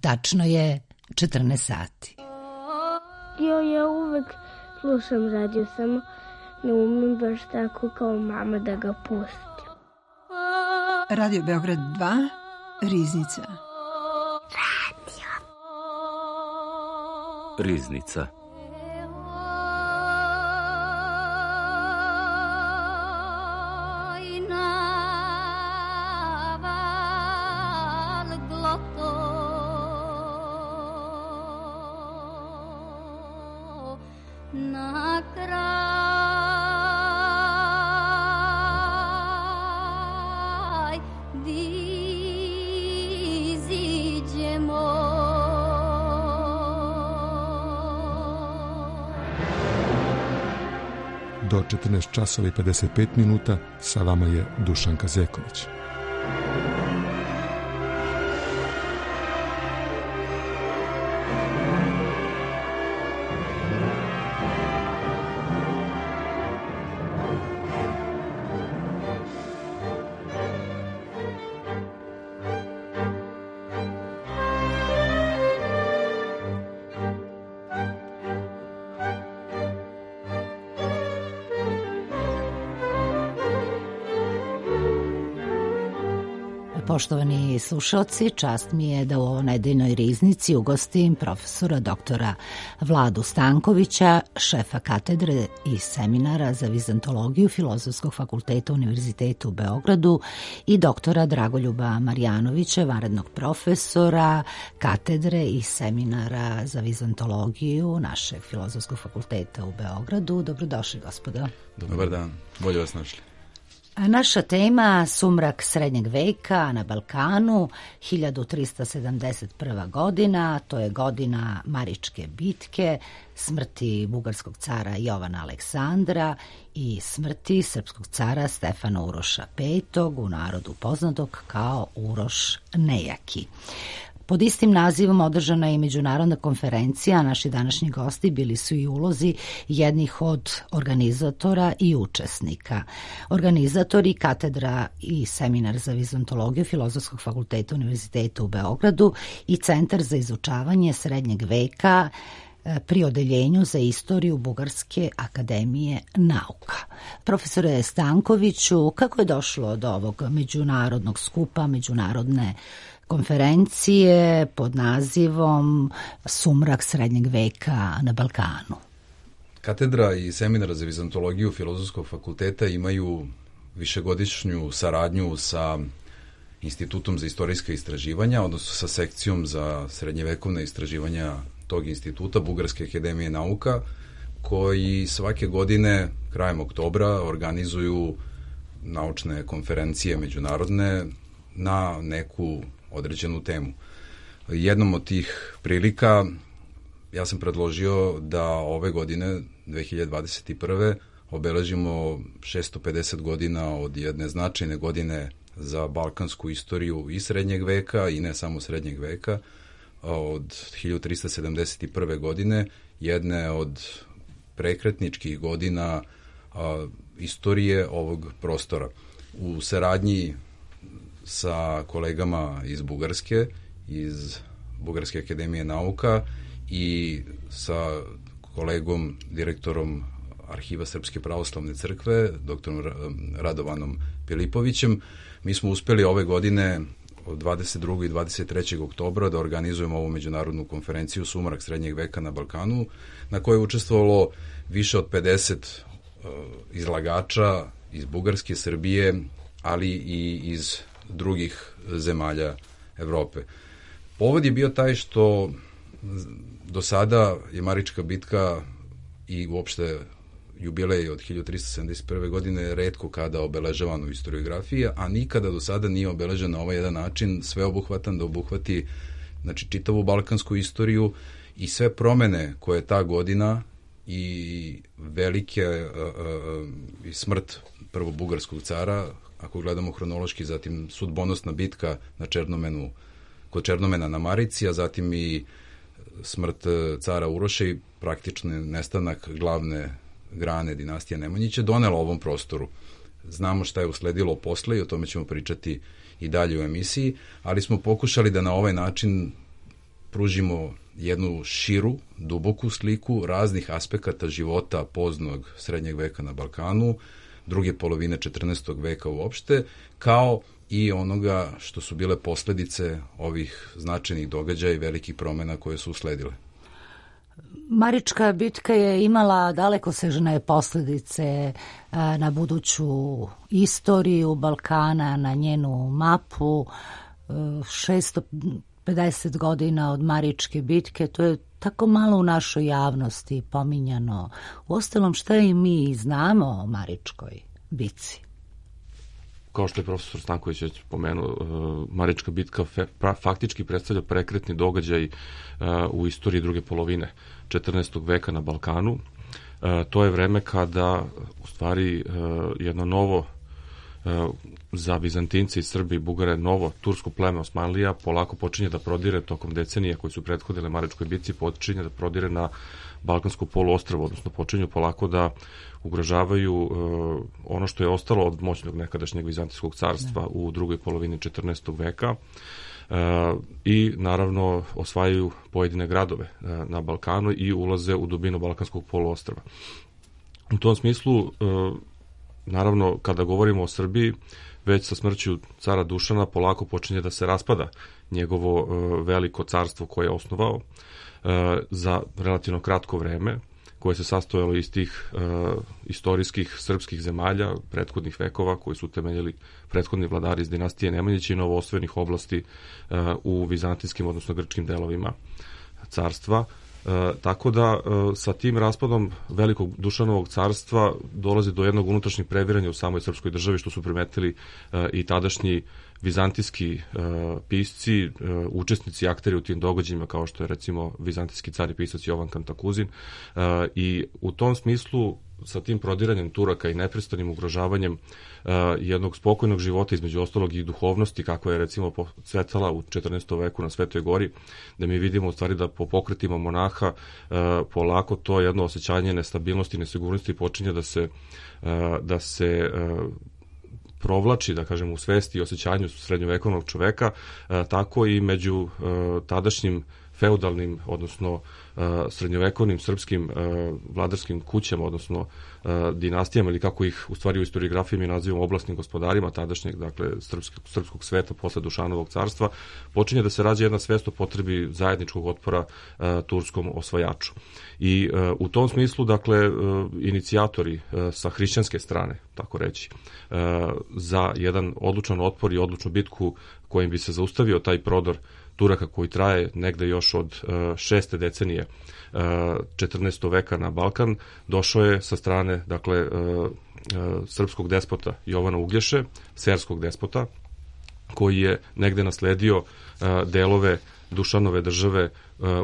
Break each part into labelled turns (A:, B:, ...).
A: Tačno je 14 sati.
B: Ja uvek slušam radio, samo ne umem baš tako kao mama da ga pustim.
C: Radio Beograd 2, Riznica.
D: Riznica.
E: Do 14 časova i 55 minuta sa vama je Dušan Kazeković.
A: Poštovani slušalci, čast mi je da u ovoj nedeljnoj riznici ugostim profesora doktora Vladu Stankovića, šefa katedre i seminara za vizantologiju Filozofskog fakulteta Univerziteta u Beogradu i doktora Dragoljuba Marjanovića, vanrednog profesora katedre i seminara za vizantologiju našeg Filozofskog fakulteta u Beogradu. Dobrodošli, gospodo.
F: Dobar dan, bolje vas našli.
A: Naša tema sumrak srednjeg veka na Balkanu, 1371. godina, to je godina Maričke bitke, smrti bugarskog cara Jovana Aleksandra i smrti srpskog cara Stefana Uroša V, u narodu poznatog kao Uroš Nejaki. Pod istim nazivom održana je i međunarodna konferencija, a naši današnji gosti bili su i ulozi jednih od organizatora i učesnika. Organizatori katedra i seminar za vizantologiju Filozofskog fakulteta Univerziteta u Beogradu i Centar za izučavanje srednjeg veka pri odeljenju za istoriju Bugarske akademije nauka. Profesore Stankoviću, kako je došlo do ovog međunarodnog skupa, međunarodne konferencije pod nazivom Sumrak srednjeg veka na Balkanu?
F: Katedra i seminar za vizantologiju Filozofskog fakulteta imaju višegodišnju saradnju sa Institutom za istorijska istraživanja, odnosno sa sekcijom za srednjevekovne istraživanja tog instituta, Bugarske akademije nauka, koji svake godine, krajem oktobra, organizuju naučne konferencije međunarodne na neku određenu temu. Jednom od tih prilika ja sam predložio da ove godine, 2021. obeležimo 650 godina od jedne značajne godine za balkansku istoriju i srednjeg veka i ne samo srednjeg veka, od 1371. godine, jedne od prekretničkih godina istorije ovog prostora. U saradnji sa kolegama iz Bugarske, iz Bugarske akademije nauka i sa kolegom, direktorom Arhiva Srpske pravoslavne crkve, doktorom Radovanom Pilipovićem, mi smo uspeli ove godine od 22. i 23. oktobra da organizujemo ovu međunarodnu konferenciju Sumrak srednjeg veka na Balkanu, na kojoj je učestvovalo više od 50 izlagača iz Bugarske, Srbije, ali i iz drugih zemalja Evrope. Povod je bio taj što do sada je Marička bitka i uopšte jubilej od 1371. godine retko kada obeležavan u historiografiji, a nikada do sada nije obeležen na ovaj jedan način sveobuhvatan da obuhvati čitavu balkansku istoriju i sve promene koje ta godina i velike i smrt prvog bugarskog cara, ako gledamo hronološki, zatim sudbonosna bitka na kod Černomena na Marici, a zatim i smrt cara Uroša i praktični nestanak glavne grane dinastije Nemanjića donela ovom prostoru. Znamo šta je usledilo posle i o tome ćemo pričati i dalje u emisiji, ali smo pokušali da na ovaj način pružimo jednu širu, duboku sliku raznih aspekata života poznog srednjeg veka na Balkanu, druge polovine 14. veka uopšte, kao i onoga što su bile posledice ovih značajnih događaja i velikih promena koje su usledile.
A: Marička bitka je imala dalekosežne posledice na buduću istoriju Balkana, na njenu mapu. 650 godina od Maričke bitke, to je tako malo u našoj javnosti pominjano. Uostalom, šta i mi znamo o Maričkoj bitci?
D: Kao što je profesor Stanković već pomenuo, Marička bitka faktički predstavlja prekretni događaj u istoriji druge polovine 14. veka na Balkanu. To je vreme kada u stvari jedno novo, za Bizantince i Srbi i Bugare, novo tursko pleme Osmanlija polako počinje da prodire tokom decenija koji su prethodile Maričkoj bitci, počinje da prodire na Balkansko poluostrvo, odnosno počinju polako da ugrožavaju ono što je ostalo od moćnog nekadašnjeg Vizantijskog carstva u drugoj polovini 14. veka i naravno osvajaju pojedine gradove na Balkanu i ulaze u dubinu Balkanskog poluostrva. U tom smislu, naravno, kada govorimo o Srbiji, već sa smrću cara Dušana polako počinje da se raspada njegovo veliko carstvo koje je osnovao za relativno kratko vreme, koje se sastojalo iz tih istorijskih srpskih zemalja prethodnih vekova koji su temeljili prethodni vladari iz dinastije Nemanjića i novoosvojenih oblasti u vizantijskim, odnosno grčkim delovima carstva. Tako da sa tim raspadom velikog Dušanovog carstva dolazi do jednog unutrašnjeg previranja u samoj srpskoj državi, što su primetili i tadašnji vizantijski pisci, učesnici, akteri u tim događajima, kao što je recimo vizantijski car i pisac Jovan Kantakuzin, i u tom smislu sa tim prodiranjem Turaka i neprestanim ugrožavanjem jednog spokojnog života, između ostalog i duhovnosti, kakva je recimo cvetala u 14. veku na Svetoj gori, da mi vidimo u stvari da po pokretima monaha polako to jedno osjećanje nestabilnosti i nesigurnosti počinje da se provlači, da kažem, u svesti i osjećanju srednjovekovnog čoveka, tako i među tadašnjim feudalnim, odnosno srednjovekovnim srpskim vladarskim kućama, odnosno dinastijama, ili kako ih u stvari u istoriografiji mi nazivamo oblastnim gospodarima tadašnjeg, dakle, srpskog sveta posle Dušanovog carstva, počinje da se rađa jedna svest o potrebi zajedničkog otpora turskom osvajaču. I u tom smislu, dakle, inicijatori sa hrišćanske strane, tako reći, za jedan odlučan otpor i odlučnu bitku kojim bi se zaustavio taj prodor Turaka koji traje negde još od 6. decenije 14. veka na Balkan, došao je sa strane, dakle, srpskog despota Jovana Uglješe, serskog despota, koji je negde nasledio delove Dušanove države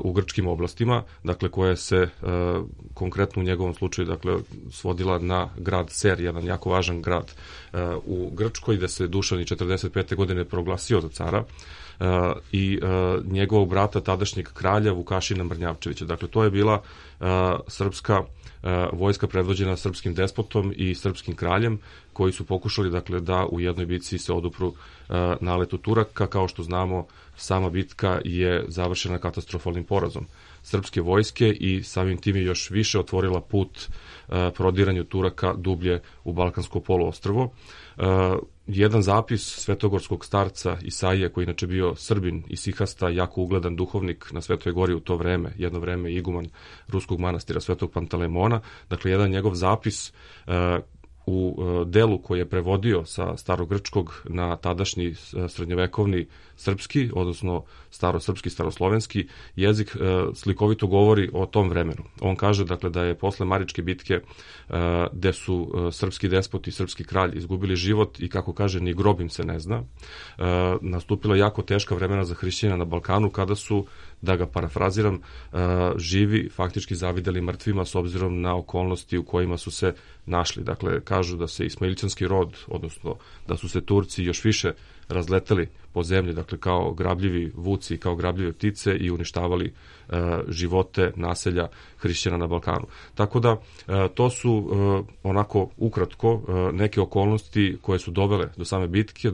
D: u grčkim oblastima, dakle, koja se konkretno u njegovom slučaju, dakle, svodila na grad Ser, jedan jako važan grad u Grčkoj, gde se Dušan i 45. godine proglasio za cara, i njegovog brata, tadašnjeg kralja Vukašina Mrnjavčevića. Dakle, to je bila srpska vojska predvođena srpskim despotom i srpskim kraljem, koji su pokušali, dakle, da u jednoj bitci se odupru naletu Turaka. Kao što znamo, sama bitka je završena katastrofalnim porazom srpske vojske i samim tim je još više otvorila put prodiranju Turaka dublje u Balkansko poluostrvo. Jedan zapis svetogorskog starca Isaije, koji inače bio Srbin i sihasta, jako ugledan duhovnik na Svetoj gori u to vreme, jedno vreme iguman ruskog manastira Svetog Pantalemona, dakle, jedan njegov zapis u delu koji je prevodio sa starogrčkog na tadašnji srednjovekovni srpski, odnosno starosrpski, staroslovenski jezik, slikovito govori o tom vremenu. On kaže, dakle, da je posle Maričke bitke, gde su srpski despot i srpski kralj izgubili život i, kako kaže, ni grob im se ne zna, nastupila jako teška vremena za hrišćana na Balkanu, kada su, da ga parafraziram, živi faktički zavideli mrtvima s obzirom na okolnosti u kojima su se našli. Dakle, kažu da se ismailčanski rod, odnosno da su se Turci još više razleteli po zemlji, dakle, kao grabljivi vuci, kao grabljive ptice, i uništavali živote naselja hrišćana na Balkanu. Tako da to su onako ukratko neke okolnosti koje su dovele do same bitke,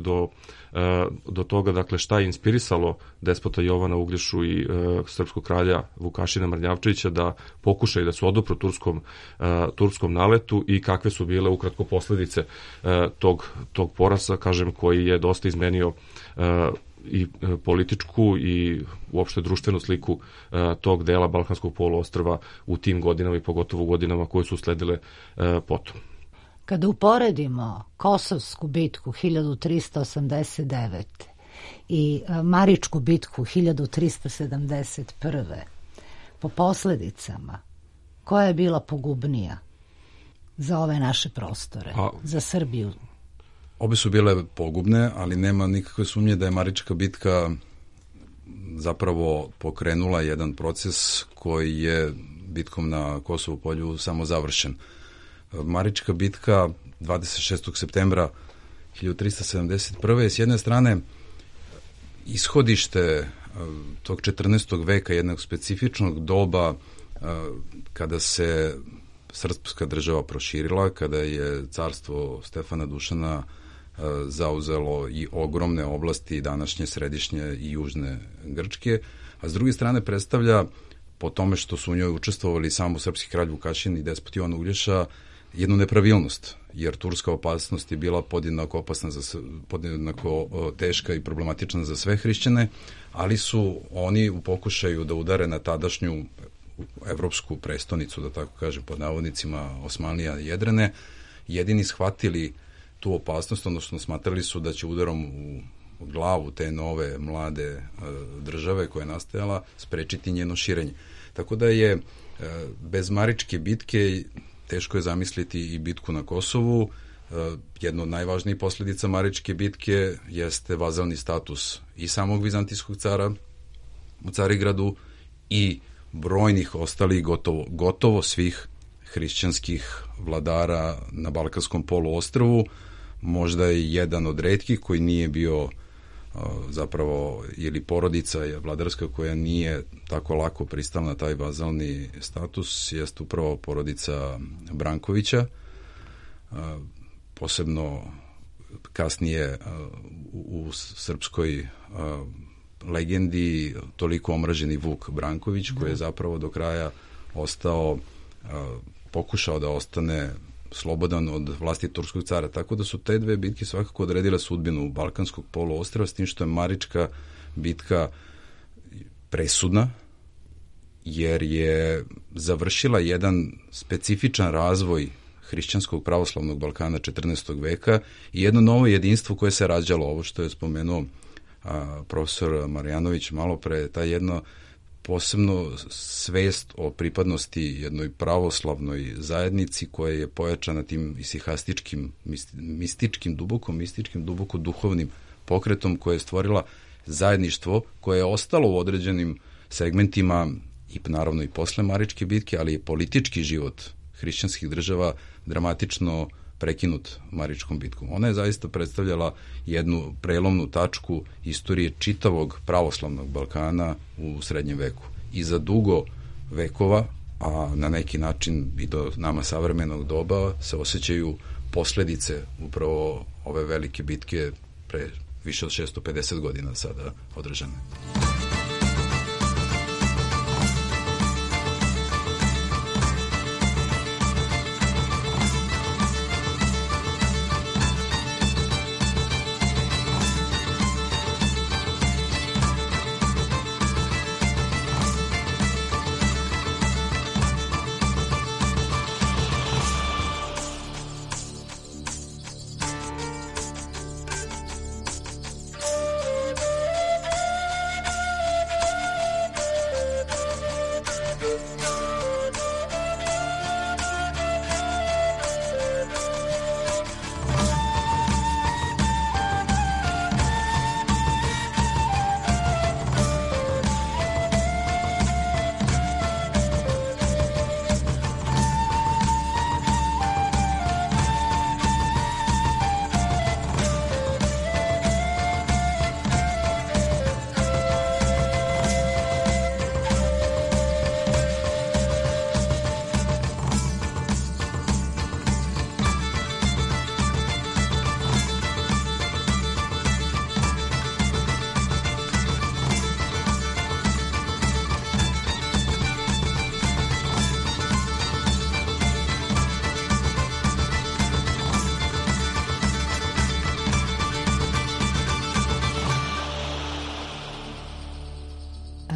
D: do toga, dakle, šta je inspirisalo despota Jovana Uglješu i srpskog kralja Vukašina Mrnjavčevića da pokušaju da se odupru turskom naletu i kakve su bile ukratko posledice tog porasa, kažem, koji je dosta izmenio i političku i uopšte društvenu sliku tog dela Balkanskog poluostrva u tim godinama i pogotovo u godinama koje su sledile potom.
A: Kada uporedimo Kosovsku bitku 1389. i Maričku bitku 1371. po posledicama, koja je bila pogubnija za ove naše prostore, za Srbiju?
F: Obe su bile pogubne, ali nema nikakve sumnje da je Marička bitka zapravo pokrenula jedan proces koji je bitkom na Kosovu polju samo završen. Marička bitka 26. septembra 1371. je s jedne strane ishodište tog 14. veka, jednog specifičnog doba kada se srpska država proširila, kada je carstvo Stefana Dušana zauzelo i ogromne oblasti današnje središnje i južne Grčke, a s druge strane predstavlja, po tome što su u njoj učestvovali samo srpski kralj Vukašin i despot Jovan Uglješa, jednu nepravilnost, jer turska opasnost je bila podjednako teška i problematična za sve hrišćane, ali su oni u pokušaju da udare na tadašnju evropsku prestonicu, da tako kažem pod navodnicima, Osmanlija i Jedrene, jedini shvatili tu opasnost, odnosno smatrali su da će udarom u glavu te nove mlade države koja je nastajala sprečiti njeno širenje. Tako da je bez Maričke bitke teško je zamisliti i bitku na Kosovu. Jedna od najvažnijih posledica Maričke bitke jeste vazalni status i samog vizantijskog cara u Carigradu i brojnih ostalih gotovo svih hrišćanskih vladara na Balkanskom poluostrvu. Možda je jedan od retkih koji nije bio zapravo, ili porodica vladarska koja nije tako lako pristala na taj vazalni status, jeste upravo porodica Brankovića, posebno kasnije u srpskoj legendi toliko omraženi Vuk Branković, koji je zapravo do kraja pokušao da ostane slobodan od vlasti turskog cara. Tako da su te dve bitke svakako odredile sudbinu Balkanskog poluostrva, s tim što je Marička bitka presudna, jer je završila jedan specifičan razvoj hrišćanskog pravoslavnog Balkana 14. veka i jedno novo jedinstvo koje se rađalo, ovo što je spomenuo profesor Marjanović malo pre, ta jedna posebno svest o pripadnosti jednoj pravoslavnoj zajednici koja je pojačana tim isihastičkim, duboko duhovnim pokretom koja je stvorila zajedništvo koje je ostalo u određenim segmentima i naravno i posle Maričke bitke, ali i politički život hrišćanskih država dramatično prekinut Maričkom bitkom. Ona je zaista predstavljala jednu prelomnu tačku istorije čitavog pravoslavnog Balkana u srednjem veku. I za dugo vekova, a na neki način i do nama savremenog doba, se osjećaju posledice upravo ove velike bitke pre više od 650 godina sada održane.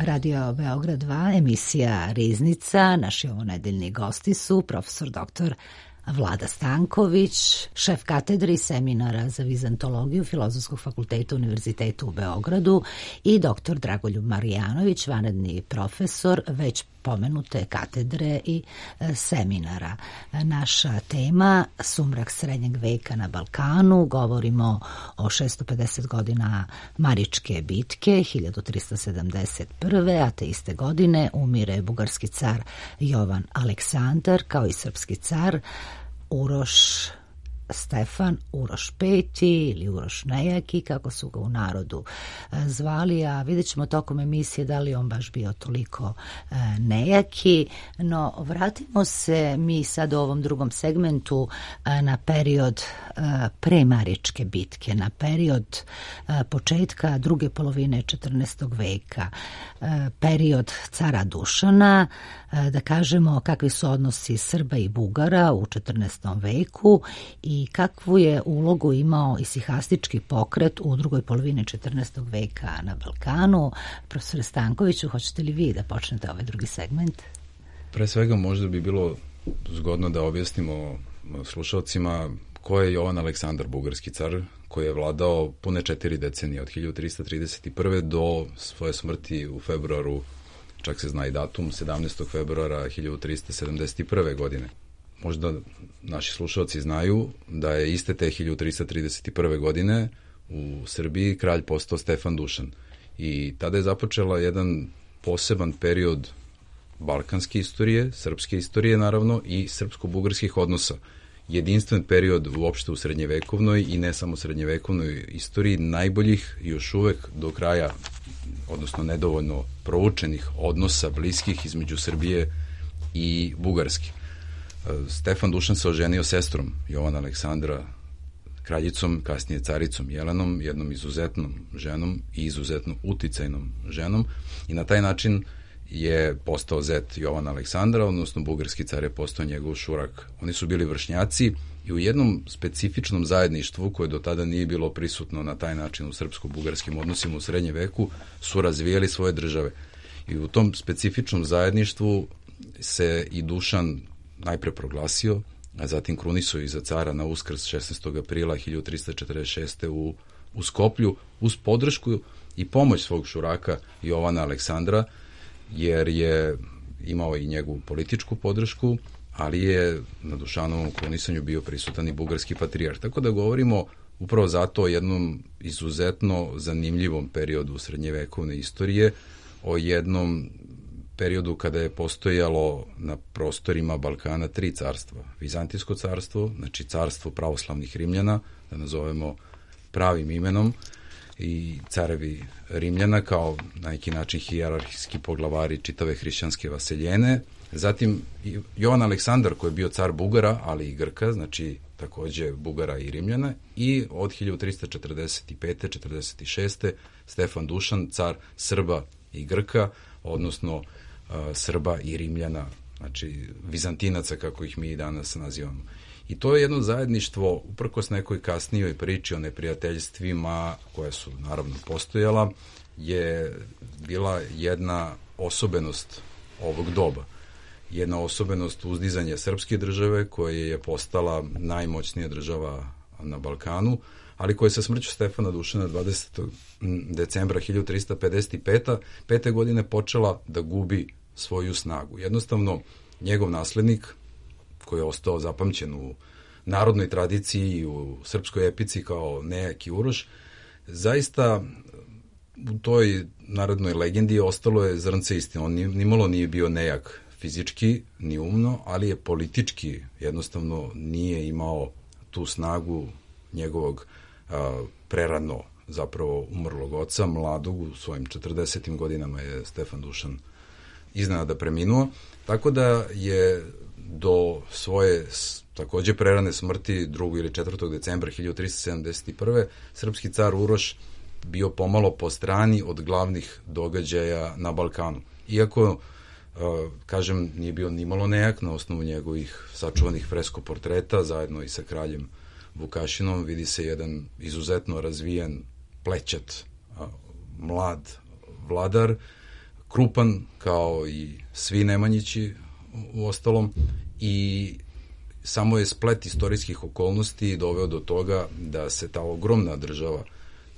A: Radio Beograd 2, emisija Riznica. Naši ovonedeljni gosti su profesor dr. Vlada Stanković, šef katedre i seminara za vizantologiju Filozofskog fakulteta Univerziteta u Beogradu i dr. Dragoljub Marjanović, vanredni profesor već pomenute katedre i seminara. Naša tema sumrak srednjeg veka na Balkanu, govorimo o 650 godina Maričke bitke 1371. a te iste godine umire bugarski car Jovan Aleksandar kao i srpski car Uroš Stefan, Uroš V ili Uroš Nejaki, kako su ga u narodu zvali, a vidjet ćemo tokom emisije da li on baš bio toliko nejaki. No, vratimo se mi sad u ovom drugom segmentu na period pre Maričke bitke, na period početka druge polovine 14. veka, period cara Dušana, da kažemo kakvi su odnosi Srba i Bugara u 14. veku i kakvu je ulogu imao isihastički pokret u drugoj polovini 14. veka na Balkanu. Profesore Stankoviću, hoćete li vi da počnete ovaj drugi segment?
F: Pre svega možda bi bilo zgodno da objasnimo slušalcima ko je Jovan Aleksandar, bugarski car, koji je vladao pune 4 decenije, od 1331. do svoje smrti u februaru, čak se zna i datum, 17. februara 1371. godine. Možda naši slušalci znaju da je iste te 1331. godine u Srbiji kralj postao Stefan Dušan. I tada je započela jedan poseban period balkanske istorije, srpske istorije naravno i srpsko-bugarskih odnosa. Jedinstven period uopšte u srednjevekovnoj i ne samo srednjevekovnoj istoriji, najboljih još uvek do kraja, odnosno nedovoljno proučenih odnosa bliskih između Srbije i Bugarske. Stefan Dušan se oženio sestrom Jovana Aleksandra, kraljicom, kasnije caricom Jelenom, jednom izuzetnom ženom i izuzetno uticajnom ženom, i na taj način je postao zet Jovana Aleksandra, odnosno bugarski car je postao njegov šurak. Oni su bili vršnjaci i u jednom specifičnom zajedništvu koje do tada nije bilo prisutno na taj način u srpsko-bugarskim odnosima u srednjem veku su razvijali svoje države. I u tom specifičnom zajedništvu se i Dušan najpre proglasio, a zatim krunisao i za cara na Uskrs 16. aprila 1346. u Skoplju, uz podršku i pomoć svog šuraka Jovana Aleksandra, jer je imao i njegovu političku podršku, ali je na Dušanovom krunisanju bio prisutan i bugarski patrijarh. Tako da govorimo upravo zato o jednom izuzetno zanimljivom periodu srednjevekovne istorije, o jednom periodu kada je postojalo na prostorima Balkana 3 carstva. Vizantijsko carstvo, znači carstvo pravoslavnih Rimljana, da nazovemo pravim imenom, i carevi Rimljana kao na neki način hijerarhijski poglavari čitave hrišćanske vaseljene. Zatim Jovan Aleksandar koji je bio car Bugara, ali i Grka, znači takođe Bugara i Rimljana, i od 1345. 46. Stefan Dušan, car Srba i Grka, odnosno Srba i Rimljana, znači Vizantinaca kako ih mi danas nazivamo. I to je jedno zajedništvo, uprkos nekoj kasnijoj priči o neprijateljstvima koja su naravno postojala, je bila jedna osobenost ovog doba. Jedna osobenost uzdizanja srpske države koja je postala najmoćnija država na Balkanu, ali koja je sa smrću Stefana Dušana 20. decembra 1355. godine počela da gubi svoju snagu. Jednostavno, njegov naslednik, koji je ostao zapamćen u narodnoj tradiciji i u srpskoj epici kao nejaki Uroš, zaista u toj narodnoj legendi ostalo je zrnce istine. On nimalo nije bio nejak fizički, ni umno, ali je politički jednostavno nije imao tu snagu njegovog prerano zapravo umrlog oca, mladog, u svojim 40. godinama je Stefan Dušan iznenada preminuo, tako da je do svoje takođe prerane smrti 2. ili 4. decembra 1371. srpski car Uroš bio pomalo po strani od glavnih događaja na Balkanu. Iako, kažem, nije bio nimalo nejak, na osnovu njegovih sačuvanih fresko portreta, zajedno i sa kraljem Vukašinom, vidi se jedan izuzetno razvijen, plećat, mlad vladar, krupan kao i svi Nemanjići u ostalom i samo je splet istorijskih okolnosti doveo do toga da se ta ogromna država,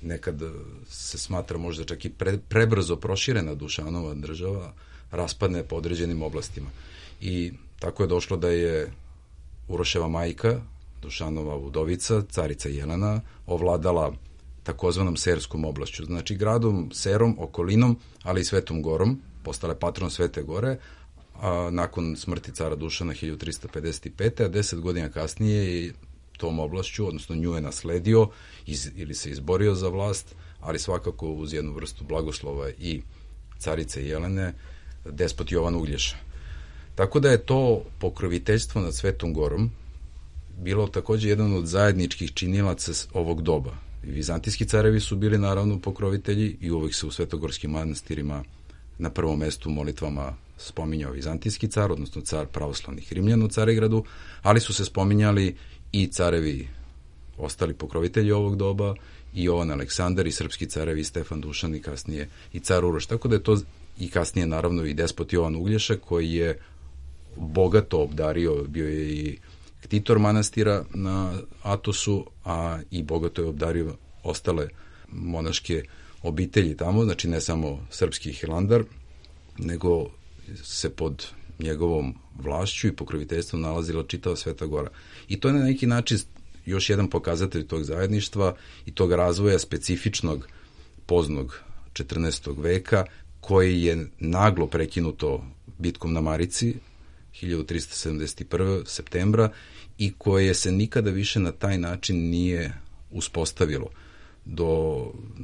F: nekad se smatra možda čak i prebrzo proširena Dušanova država, raspadne po određenim oblastima. I tako je došlo da je Uroševa majka, Dušanova udovica, carica Jelena, ovladala takozvanom Serskom oblašću, znači gradom, Serom, okolinom, ali i Svetom Gorom, postala je patron Svete Gore, a nakon smrti cara Dušana 1355. a 10 godina kasnije je tom oblašću, odnosno nju je nasledio ili se izborio za vlast, ali svakako uz jednu vrstu blagoslova i carice Jelene, despot Jovan Uglješa. Tako da je to pokroviteljstvo nad Svetom Gorom bilo takođe jedan od zajedničkih činilaca ovog doba. I vizantijski carevi su bili naravno pokrovitelji i uvek se u svetogorskim manastirima na prvom mestu molitvama spominjao vizantijski car, odnosno car pravoslavnih Rimljana u Carigradu, ali su se spominjali i carevi, ostali pokrovitelji ovog doba, i Jovan Aleksandar i srpski carevi Stefan Dušan i kasnije i car Uroš. Tako da je to i kasnije naravno i despot Jovan Uglješa koji je bogato obdario, bio je i ktitor manastira na Atosu, a i bogato je obdario ostale monaške obitelji tamo, znači ne samo srpski Hilandar, nego se pod njegovom vlašću i pokroviteljstvom nalazila čitava Sveta Gora. I to je na neki način još jedan pokazatelj tog zajedništva i tog razvoja specifičnog poznog 14. veka, koji je naglo prekinuto bitkom na Marici 1371. septembra i koje se nikada više na taj način nije uspostavilo.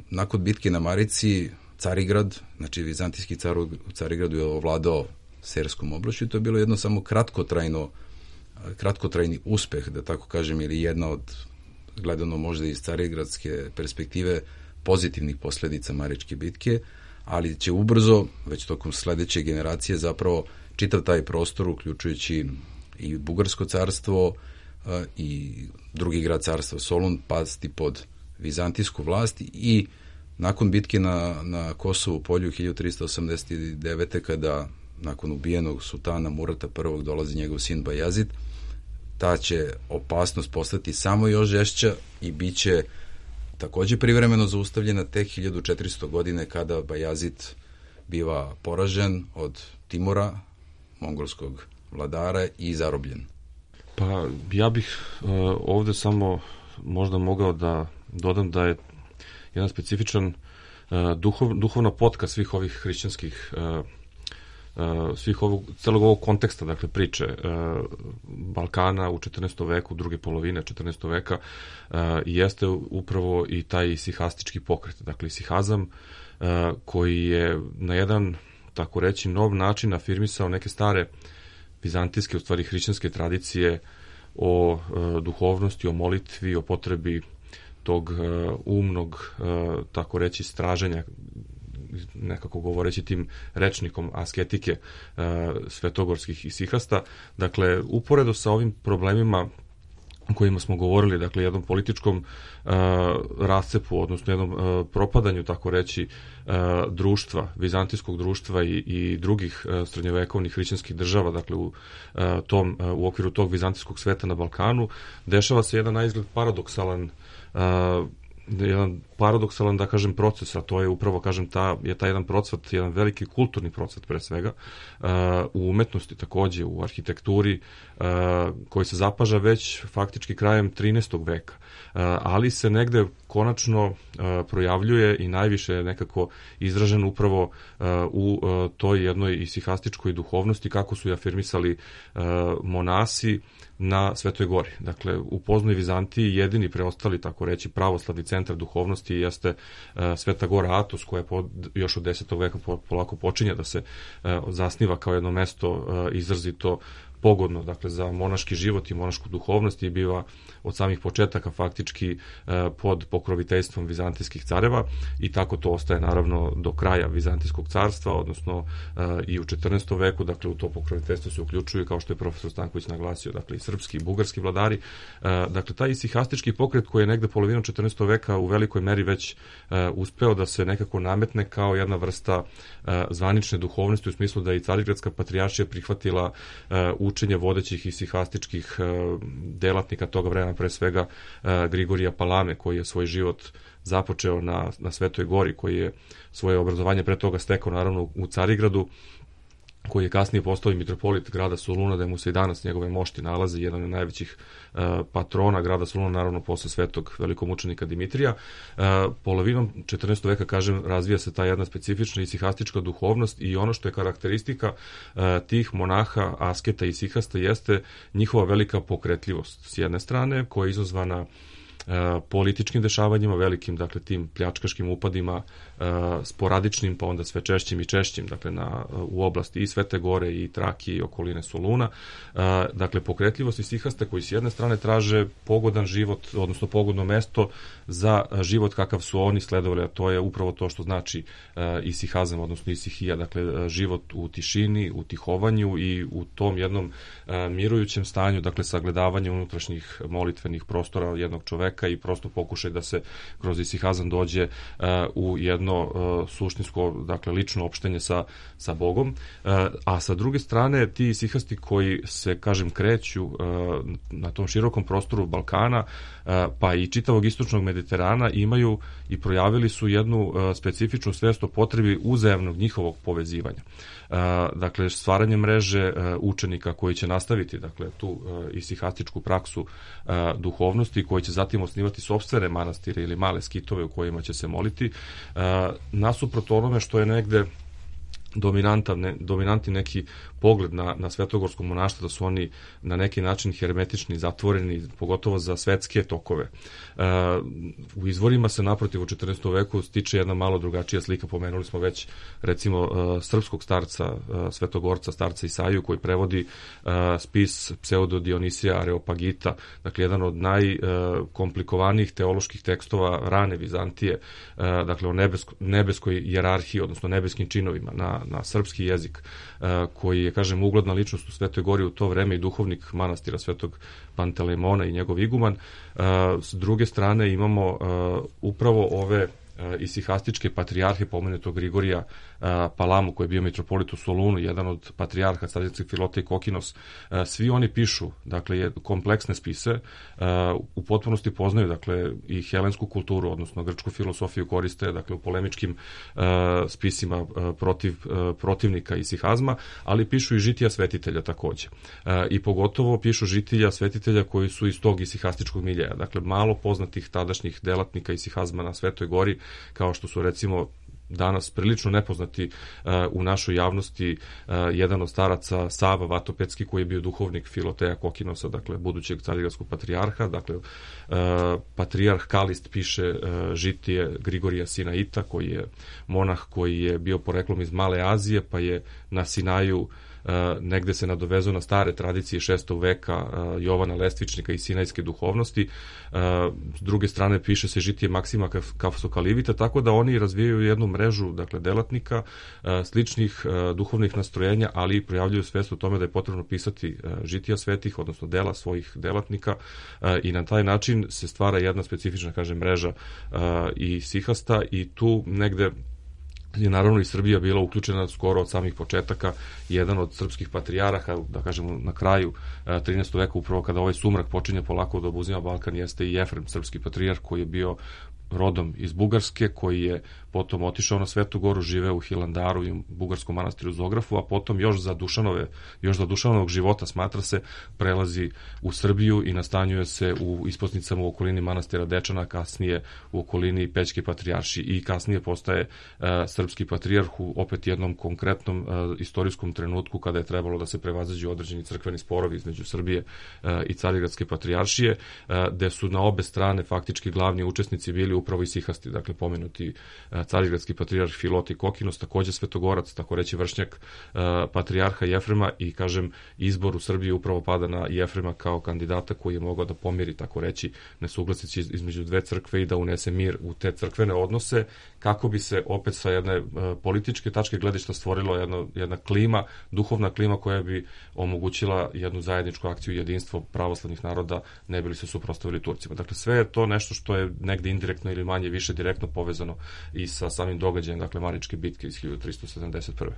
F: Nakon bitke na Marici, Carigrad, znači vizantijski car u Carigradu je ovladao Serskom oblašću i to je bilo jedno samo kratkotrajni uspeh, da tako kažem, ili jedna od, gledano možda iz carigradske perspektive, pozitivnih posledica Maričke bitke, ali će ubrzo, već tokom sledeće generacije, zapravo čitav taj prostor, uključujući i Bugarsko carstvo i drugi grad carstva Solun, pasti pod vizantijsku vlast i nakon bitke na Kosovu polju 1389. kada nakon ubijenog sultana Murata I. dolazi njegov sin Bajazid, ta će opasnost postati samo još žešća i bit će takođe privremeno zaustavljena tek 1400. godine kada Bajazid biva poražen od Timura, mongolskog vladara, i zarobljen.
D: Pa ja bih ovde samo možda mogao da dodam da je jedan specifičan duhovna potka svih ovih hrišćanskih celog ovog konteksta, dakle priče Balkana u 14. veku, druge polovine 14. veka, jeste upravo i taj isihastički pokret, dakle isihazam koji je na jedan, tako reći, nov način afirmisao neke stare vizantijske, u stvari hrišćanske tradicije o duhovnosti, o molitvi, o potrebi tog umnog, tako reći, straženja, nekako govoreći tim rečnikom asketike svetogorskih isihasta. Dakle, uporedo sa ovim problemima o kojima smo govorili, dakle, jednom političkom rascepu, odnosno jednom propadanju, tako reći, društva, vizantijskog društva i drugih srednjovekovnih hrišćanskih država, dakle, u okviru tog vizantijskog sveta na Balkanu, dešava se jedan naizgled paradoksalan, da kažem, proces, a to je upravo, kažem, taj jedan procvat, jedan veliki kulturni procvat pre svega, u umetnosti takođe, u arhitekturi, koji se zapaža već faktički krajem 13. veka, ali se negde konačno projavljuje i najviše nekako izražen upravo u toj jednoj isihastičkoj duhovnosti, kako su je afirmisali monasi na Svetoj Gori. Dakle, u poznoj Vizantiji jedini preostali, tako reći, pravoslavni centar duhovnosti jeste Sveta Gora Atos, koja još od 10. veka polako počinje da se zasniva kao jedno mesto izrazito pogodno, dakle, za monaški život i monašku duhovnost i biva od samih početaka faktički pod pokroviteljstvom vizantijskih careva i tako to ostaje naravno do kraja Vizantijskog carstva, odnosno i u 14. veku, dakle, u to pokroviteljstvo se uključuju, kao što je profesor Stanković naglasio, dakle, i srpski i bugarski vladari. Dakle, taj isihastički pokret koji je negde polovinom 14. veka u velikoj meri već uspeo da se nekako nametne kao jedna vrsta zvanične duhovnosti, u smislu da i Carigradska patrijaršija prihvatila učenje vodećih isihastičkih delatnika toga vremena, pre svega Grigorija Palame, koji je svoj život započeo na Svetoj gori, koji je svoje obrazovanje pre toga stekao naravno u Carigradu, koji je kasnije postao i mitropolit grada Soluna, da mu se i danas njegove mošti nalaze, jedan od najvećih patrona grada Soluna, naravno posle svetog velikomučenika Dimitrija. Polovinom 14. veka, kažem, razvija se ta jedna specifična isihastička duhovnost i ono što je karakteristika tih monaha, asketa i isihasta jeste njihova velika pokretljivost s jedne strane, koja je izazvana političkim dešavanjima, velikim, dakle, tim pljačkaškim upadima, sporadičnim, pa onda sve češćim i češćim, dakle, u oblasti i Svete Gore i Trakije i okoline Soluna. Dakle, pokretljivost isihasta koji s jedne strane traže pogodan život, odnosno pogodno mesto za život kakav su oni sledovali, a to je upravo to što znači isihazam, odnosno isihija, dakle, život u tišini, u tihovanju i u tom jednom mirujućem stanju, dakle, sagledavanje unutrašnjih molitvenih prostora jednog čoveka i prosto pokušaj da se kroz isihazam dođe u jedno suštinsko, dakle, lično opštenje sa Bogom. A sa druge strane, ti isihasti koji se, kažem, kreću na tom širokom prostoru Balkana, pa i čitavog istočnog Mediterana, imaju i projavili su jednu specifičnu svest o potrebi uzajamnog njihovog povezivanja. Dakle, stvaranje mreže učenika koji će nastaviti, dakle, tu isihastičku praksu duhovnosti, koji će zatim osnivati sopstvene manastire ili male skitove u kojima će se moliti, nasuprot onome što je negde dominantni neki pogled na svetogorsko monaštvo, da su oni na neki način hermetični, zatvoreni, pogotovo za svetske tokove. U izvorima se naprotiv u 14. veku stiče jedna malo drugačija slika. Pomenuli smo već, recimo, srpskog starca, svetogorca, starca Isaiju, koji prevodi spis Pseudo Dionisija Areopagita, dakle, jedan od najkomplikovanijih teoloških tekstova rane Vizantije, dakle, o nebeskoj hijerarhiji, odnosno nebeskim činovima na srpski jezik, koji je, kažem, ugledna ličnost u Svetoj Gori u to vreme i duhovnik manastira Svetog Pantelejmona i njegov iguman. S druge strane imamo upravo ove isihastičke patrijarhe, pomenutog Grigorija Palamu, koji je bio mitropolit u Solunu, jedan od patrijarha Carigradskih Filota i Kokinos. Svi oni pišu, dakle, kompleksne spise, u potpunosti poznaju, dakle, i helensku kulturu, odnosno grčku filosofiju koriste, dakle, u polemičkim spisima protiv protivnika isihazma, ali pišu i žitija svetitelja takođe. I pogotovo pišu žitija svetitelja koji su iz tog isihastičkog miljeja, dakle, malo poznatih tadašnjih delatnika isihazma na Svetoj Gori, kao što su, recimo, danas prilično nepoznati u našoj javnosti, jedan od staraca Sava Vatopedski, koji je bio duhovnik Filoteja Kokinosa, dakle, budućeg carigradskog patrijarha. Dakle, patrijarh Kalist piše žitije Grigorija Sinaita, koji je monah koji je bio poreklom iz Male Azije, pa je na Sinaju negde se nadovezao na stare tradicije 6. veka Jovana Lestvičnika i sinajske duhovnosti. S druge strane piše se žitije Maksima Kafsokalivita, tako da oni razvijaju jednu mrežu, dakle, delatnika, sličnih duhovnih nastrojenja, ali i projavljuju svest o tome da je potrebno pisati žitija svetih, odnosno dela svojih delatnika, i na taj način se stvara jedna specifična, kažem, mreža i sihasta, i tu negde je naravno i Srbija bila uključena skoro od samih početaka. Jedan od srpskih patrijaraha, da kažemo, na kraju 13. veka, upravo kada ovaj sumrak počinje polako da obuzima Balkan, jeste i Jefrem, srpski patrijarh, koji je bio rodom iz Bugarske, koji je potom otišao na Svetu Goru, živeo u Hilandaru i u bugarskom manastiru Zografu, a potom još za Dušanovog života, smatra se, prelazi u Srbiju i nastanjuje se u isposnicama u okolini manastira Dečana, kasnije u okolini Pećke patrijarši, i kasnije postaje srpski patrijarh u opet jednom konkretnom istorijskom trenutku kada je trebalo da se prevaziđu određeni crkveni sporovi između Srbije i Carigradske patrijaršije, gde su na obe strane faktički glavni učesnici bili upravo i sihasti, dakle pomenuti carigradski patrijarh Filoti Kokinos, takođe svetogorac, tako reći vršnjak patrijarha Jefrema, i kažem, izbor u Srbiji upravo pada na Jefrema kao kandidata koji je mogao da pomiri, tako reći, nesuglasice između dve crkve i da unese mir u te crkvene odnose, kako bi se opet sa jedne političke tačke gledišta stvorilo jedna klima, duhovna klima koja bi omogućila jednu zajedničku akciju i jedinstvo pravoslavnih naroda, ne bi li se suprotstavili Turcima. Dakle, sve je to nešto što je negde indirektno ili manje više direktno povezano i sa samim događajem, dakle, Maričke bitke iz 1371.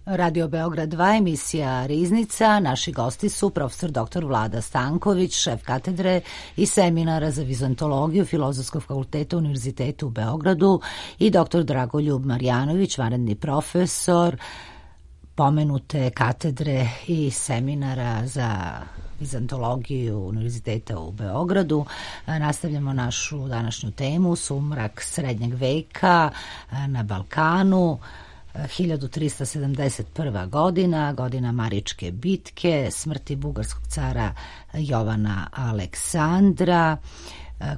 A: Radio Beograd 2, emisija Riznica. Naši gosti su profesor dr. Vlada Stanković, šef katedre i seminara za vizantologiju Filozofskog fakulteta Univerziteta u Beogradu, i dr. Dragoljub Marjanović, vanredni profesor pomenute katedre i seminara za vizantologiju Univerziteta u Beogradu. Nastavljamo našu današnju temu, sumrak srednjeg veka na Balkanu. 1371. godina Maričke bitke, smrti bugarskog cara Jovana Aleksandra,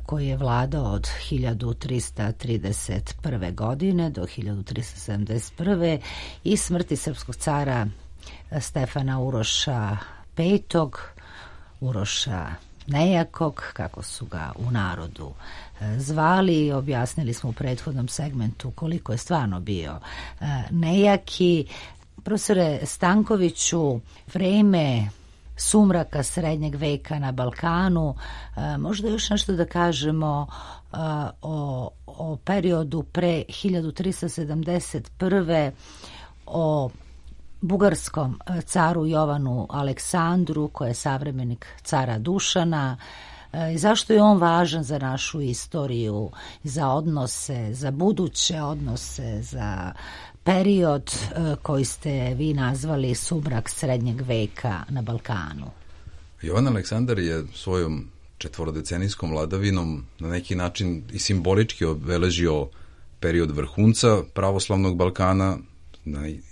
A: koji je vladao od 1331. godine do 1371. i smrti srpskog cara Stefana Uroša V, Uroša Nejakog, kako su ga u narodu zvali. Objasnili smo u prethodnom segmentu koliko je stvarno bio nejaki. Profesore Stankoviću, vreme sumraka srednjeg veka na Balkanu, možda još nešto da kažemo o periodu pre 1371. o bugarskom caru Jovanu Aleksandru, koji je savremenik cara Dušana, i zašto je on važan za našu istoriju, za odnose, za buduće odnose, za period koji ste vi nazvali sumrak srednjeg veka na Balkanu?
F: Jovan Aleksandar je svojom četvorodecenijskom vladavinom na neki način i simbolički obeležio period vrhunca pravoslavnog Balkana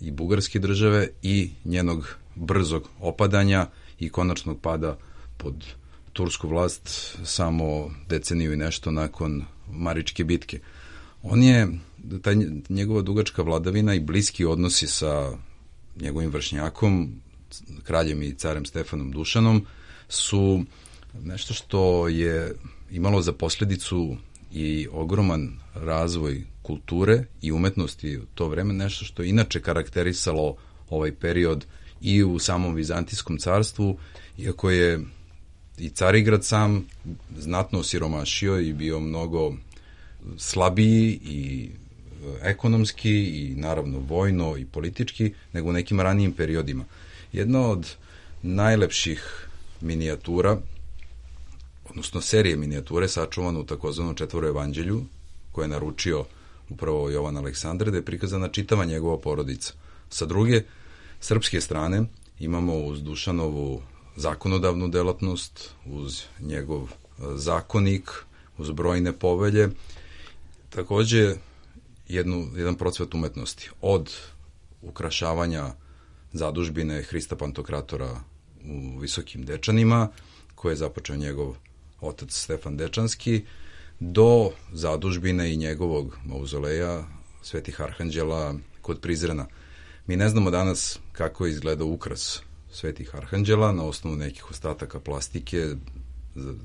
F: i bugarske države i njenog brzog opadanja i konačnog pada pod tursku vlast samo deceniju i nešto nakon Maričke bitke. Njegova dugačka vladavina i bliski odnosi sa njegovim vršnjakom, kraljem i carem Stefanom Dušanom, su nešto što je imalo za posledicu i ogroman razvoj kulture i umetnosti u to vreme, nešto što je inače karakterisalo ovaj period i u samom Vizantijskom carstvu, iako je i Carigrad sam znatno osiromašio i bio mnogo slabiji i ekonomski i naravno vojno i politički nego u nekim ranijim periodima. Jedna od najlepših minijatura, odnosno serije minijature sačuvano u takozvanom Četvoro evanđelju, koje je naručio upravo Jovan Aleksandar, da je prikazana čitava njegova porodica. Sa druge, srpske strane, imamo uz Dušanovu zakonodavnu delatnost, uz njegov zakonik, uz brojne povelje, takođe jedan procvet umetnosti. Od ukrašavanja zadužbine Hrista Pantokratora u Visokim Dečanima, koje je započeo njegov otac Stefan Dečanski, do zadužbine i njegovog mauzoleja Svetih Arhanđela kod Prizrena. Mi ne znamo danas kako je izgledao ukras Svetih Arhanđela na osnovu nekih ostataka plastike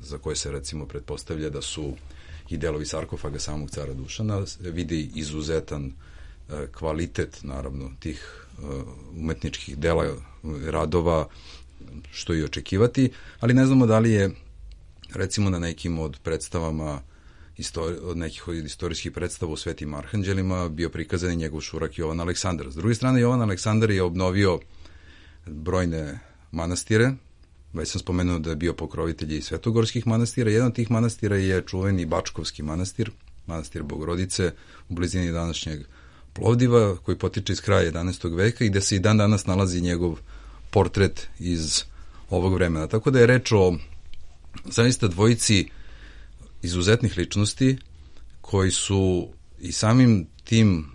F: za koje se recimo pretpostavlja da su i delovi sarkofaga samog cara Dušana. Vidi izuzetan kvalitet, naravno, tih umetničkih dela, radova, što i očekivati, ali ne znamo da li je recimo na nekim od predstavama od nekih od istorijskih predstava u Svetim Arhanđelima bio prikazan i njegov šurak Jovan Aleksandar. S druge strane, Jovan Aleksandar je obnovio brojne manastire. Već sam spomenuo da je bio pokrovitelj i svetogorskih manastira. Jedan od tih manastira je čuveni Bačkovski manastir, manastir Bogorodice u blizini današnjeg Plovdiva, koji potiče iz kraja 11. veka i gde se i dan danas nalazi njegov portret iz ovog vremena. Tako da je reč o zaista dvojici izuzetnih ličnosti koji su i samim tim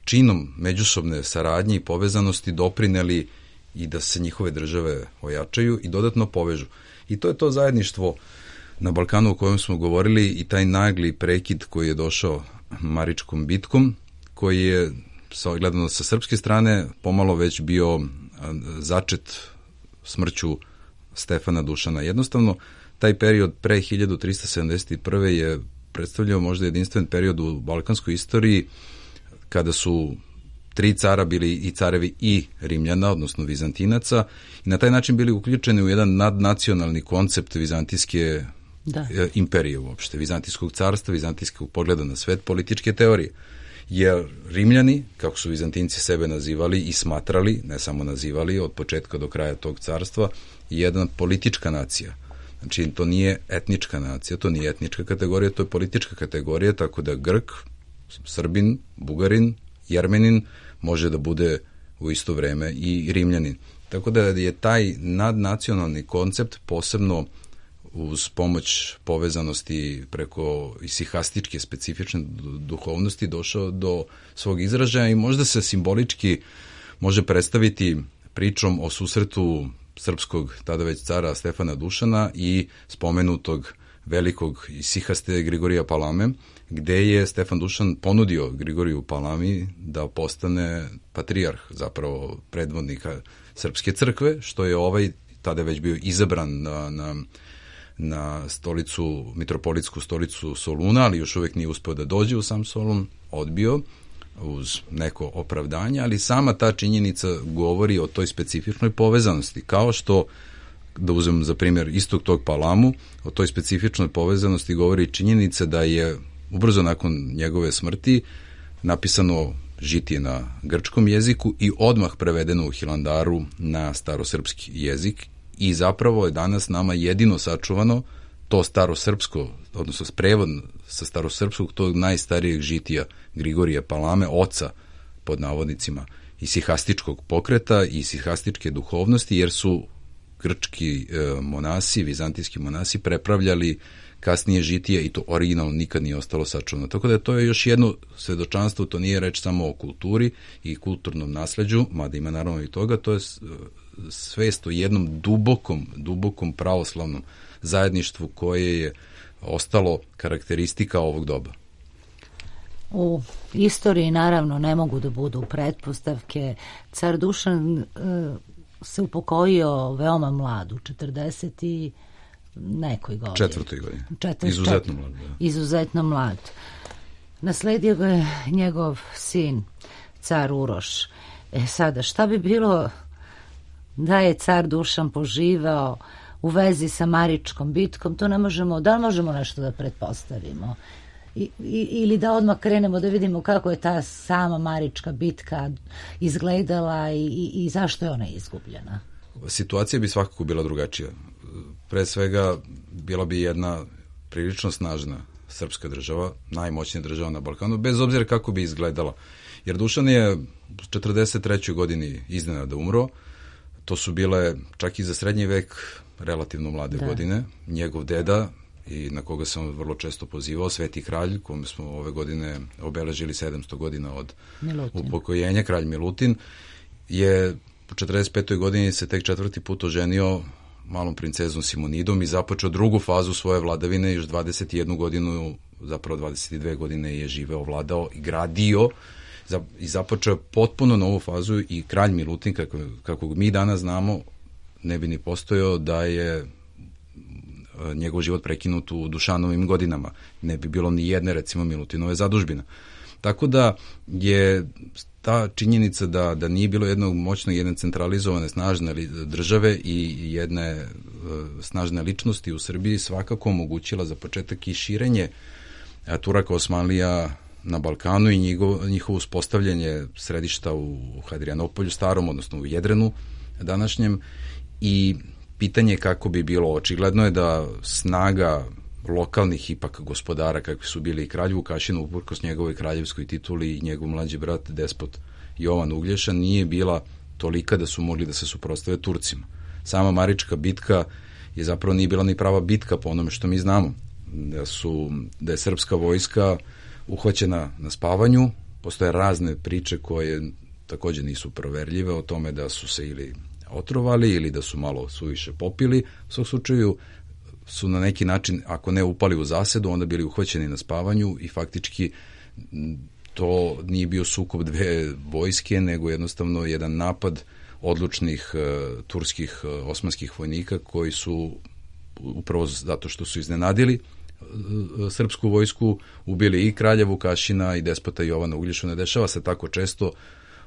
F: činom međusobne saradnje i povezanosti doprineli i da se njihove države ojačaju i dodatno povežu. I to je to zajedništvo na Balkanu o kojem smo govorili i taj nagli prekid koji je došao Maričkom bitkom, koji je gledano sa srpske strane pomalo već bio začet smrću Stefana Dušana. Jednostavno, taj period pre 1371. je predstavljao možda jedinstven period u balkanskoj istoriji kada su 3 cara bili i carevi i Rimljana, odnosno Vizantinaca, i na taj način bili uključeni u jedan nadnacionalni koncept vizantijske imperije uopšte, vizantijskog carstva, vizantijskog pogleda na svet, političke teorije. Jer Rimljani, kako su Vizantinci sebe nazivali i smatrali, ne samo nazivali, od početka do kraja tog carstva, je jedna politička nacija. Znači, to nije etnička nacija, to nije etnička kategorija, to je politička kategorija, tako da Grk, Srbin, Bugarin, Jermenin može da bude u isto vreme i Rimljanin. Tako da je taj nadnacionalni koncept posebno uz pomoć povezanosti preko isihastičke specifične duhovnosti došao do svog izražaja i možda se simbolički može predstaviti pričom o susretu srpskog tada već cara Stefana Dušana i spomenutog velikog isihaste Grigorija Palame, gde je Stefan Dušan ponudio Grigoriju Palami da postane patrijarh, zapravo predvodnika srpske crkve, što je ovaj tada već bio izabran na stolicu, mitropolitsku stolicu Soluna, ali još uvek nije uspeo da dođe u sam Solun, odbio uz neko opravdanje, ali sama ta činjenica govori o toj specifičnoj povezanosti, kao što, da uzmem za primjer istog tog Palamu, o toj specifičnoj povezanosti govori činjenica da je ubrzo nakon njegove smrti napisano žitije na grčkom jeziku i odmah prevedeno u Hilandaru na starosrpski jezik i zapravo je danas nama jedino sačuvano to starosrpsko, odnosno prevod sa starosrpskog tog najstarijeg žitija Grigorija Palame, oca pod navodnicima isihastičkog pokreta i isihastičke duhovnosti, jer su grčki monasi, vizantijski monasi prepravljali kasnije žitije i to originalno nikad nije ostalo sačuvano. Tako da to je još jedno svedočanstvo, to nije reč samo o kulturi i kulturnom nasleđu, mada ima naravno i toga, to je svest o jednom dubokom pravoslavnom zajedništvu koje je ostalo karakteristika ovog doba.
A: U istoriji naravno ne mogu da budu pretpostavke. Car Dušan se upokojio veoma mlad, u 40 i nekoj godini.
F: Četvrtoj godini. Izuzetno mlad. Da.
A: Izuzetno mlad. Nasledio ga je njegov sin, car Uroš. Sada, šta bi bilo da je car Dušan poživao u vezi sa Maričkom bitkom? To ne možemo, da li možemo nešto da pretpostavimo? Ili da odmah krenemo da vidimo kako je ta sama Marička bitka izgledala i zašto je ona izgubljena?
F: Situacija bi svakako bila drugačija. Pre svega bila bi jedna prilično snažna srpska država, najmoćnija država na Balkanu, bez obzira kako bi izgledala. Jer Dušan je u 43. godini iznenada umro. To su bile čak i za srednji vek relativno mlade godine. Njegov deda, i na koga sam vrlo često pozivao, Sveti kralj, kome smo ove godine obeležili 700 godina od upokojenja, kralj Milutin, je u 45. godini se tek 4. put oženio malom princezom Simonidom i započeo drugu fazu svoje vladavine. Još 21 godinu, zapravo 22 godine je živeo, vladao i gradio i započeo potpuno novu fazu i kralj Milutin, kako mi danas znamo, ne bi ni postojao da je njegov život prekinut u Dušanovim godinama. Ne bi bilo ni jedne, recimo, Milutinove zadužbine. Tako da je ta činjenica da nije bilo jednog moćnog, jedne centralizovane, snažne države i jedne snažne ličnosti u Srbiji svakako omogućila za početak i širenje Turaka Osmanlija na Balkanu i njihovo uspostavljanje središta u Hadrianopolju starom, odnosno u Jedrenu današnjem, i pitanje kako bi bilo. Očigledno je da snaga lokalnih ipak gospodara, kakvi su bili i kralj Vukašin, uprkos njegovoj kraljevskoj tituli, i njegov mlađi brat despot Jovan Uglješa, nije bila tolika da su mogli da se suprotstave Turcima. Sama Marička bitka je zapravo nije bila ni prava bitka po onome što mi znamo. Da je srpska vojska uhvaćena na spavanju. Postoje razne priče koje takođe nisu proverljive o tome da su se ili otrovali ili da su malo suviše popili. U svom slučaju su na neki način, ako ne upali u zasedu, onda bili uhvaćeni na spavanju i faktički to nije bio sukob dve vojske, nego jednostavno jedan napad odlučnih turskih osmanskih vojnika koji su upravo zato što su iznenadili srpsku vojsku, ubili i kralja Vukašina i despota Jovana Uglješu. Ne dešava se tako često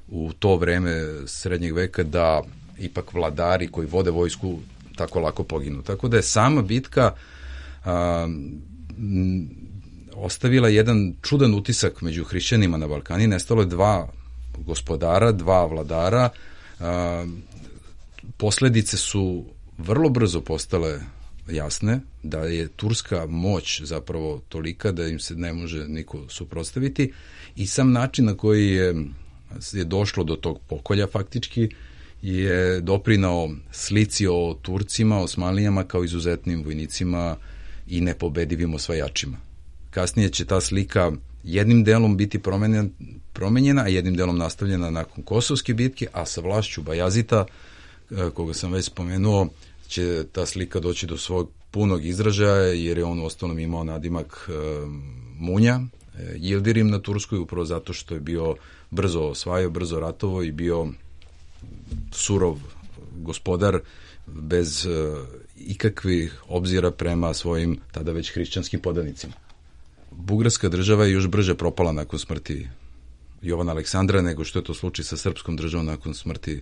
F: u to vreme srednjeg veka da ipak vladari koji vode vojsku tako lako poginu. Tako da je sama bitka ostavila jedan čudan utisak među hrišćanima na Balkani. Nestalo je dva gospodara, dva vladara. Posledice su vrlo brzo postale jasne, da je turska moć zapravo tolika da im se ne može niko suprotstaviti i sam način na koji je došlo do tog pokolja faktički je doprinao slici o Turcima, Osmanlijama kao izuzetnim vojnicima i nepobedivim osvajačima. Kasnije će ta slika jednim delom biti promenjena, a jednim delom nastavljena nakon Kosovske bitke, a sa vlašću Bajazita, koga sam već spomenuo, će ta slika doći do svog punog izražaja, jer je on u ostalom imao nadimak Munja, Yildirim na Turskoj, upravo zato što je bio brzo osvajao, brzo ratovo i bio surov gospodar bez ikakvih obzira prema svojim tada već hrišćanskim podanicima. Bugarska država je još brže propala nakon smrti Jovana Aleksandra nego što je to slučaj sa srpskom državom nakon smrti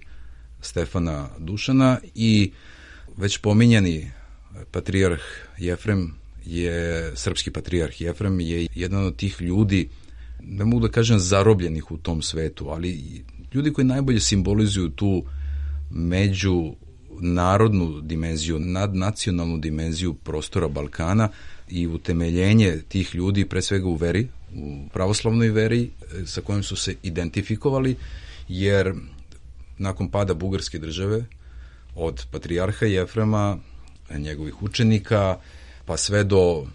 F: Stefana Dušana i već pominjani patrijarh Jefrem srpski patrijarh Jefrem je jedan od tih ljudi, ne mogu da kažem zarobljenih u tom svetu, ali ljudi koji najbolje simbolizuju tu međunarodnu dimenziju, nadnacionalnu dimenziju prostora Balkana i utemeljenje tih ljudi pre svega u veri, u pravoslavnoj veri sa kojom su se identifikovali, jer nakon pada Bugarske države od patrijarha Jefrema, njegovih učenika, pa sve do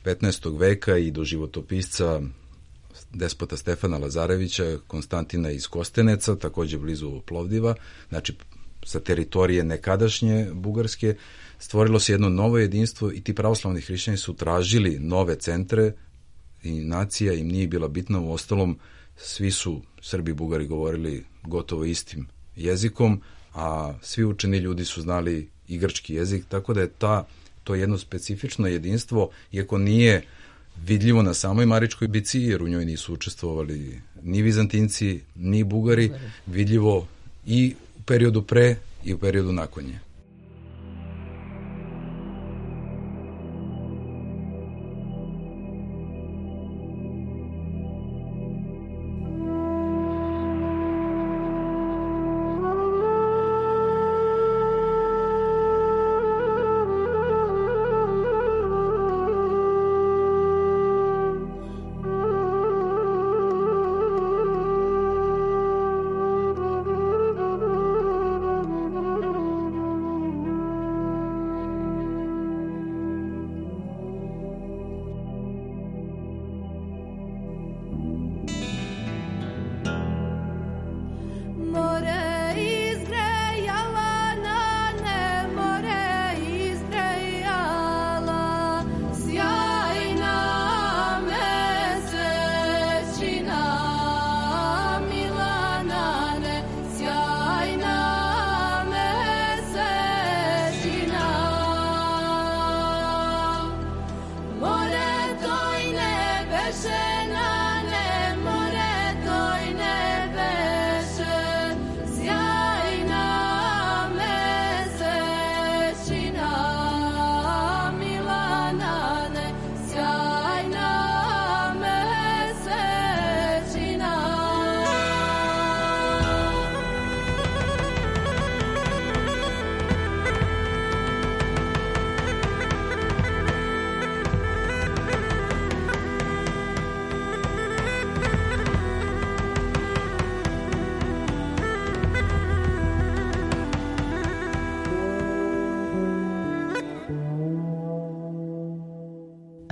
F: 15. veka i do životopisca despota Stefana Lazarevića, Konstantina iz Kosteneca, takođe blizu Plovdiva, znači sa teritorije nekadašnje Bugarske, stvorilo se jedno novo jedinstvo i ti pravoslavni hrišćani su tražili nove centre i nacija im nije bila bitna, u ostalom svi su Srbi i Bugari govorili gotovo istim jezikom, a svi učeni ljudi su znali i grčki jezik, tako da je to jedno specifično jedinstvo, iako nije vidljivo na samoj Maričkoj bici, jer u njoj nisu učestvovali ni Vizantinci, ni Bugari, vidljivo i u periodu pre i u periodu nakon nje.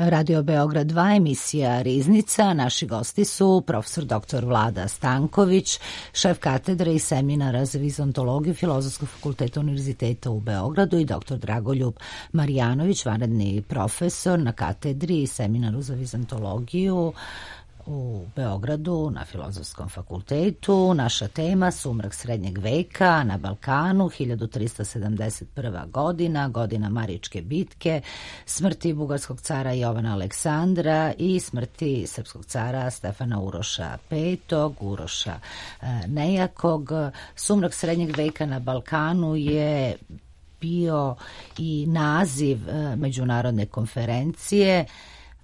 A: Radio Beograd 2, emisija Riznica. Naši gosti su profesor dr. Vlada Stanković, šef katedre i seminara za vizontologiju Filozofskog fakulteta Univerziteta u Beogradu i dr. Dragoljub Marjanović, vanredni profesor na katedri i seminaru za vizontologiju u Beogradu na Filozofskom fakultetu. Naša tema: sumrak srednjeg veka na Balkanu, 1371. godina, godina Maričke bitke, smrti bugarskog cara Jovana Aleksandra i smrti srpskog cara Stefana Uroša V, Uroša Nejakog. Sumrak srednjeg veka na Balkanu je bio i naziv međunarodne konferencije,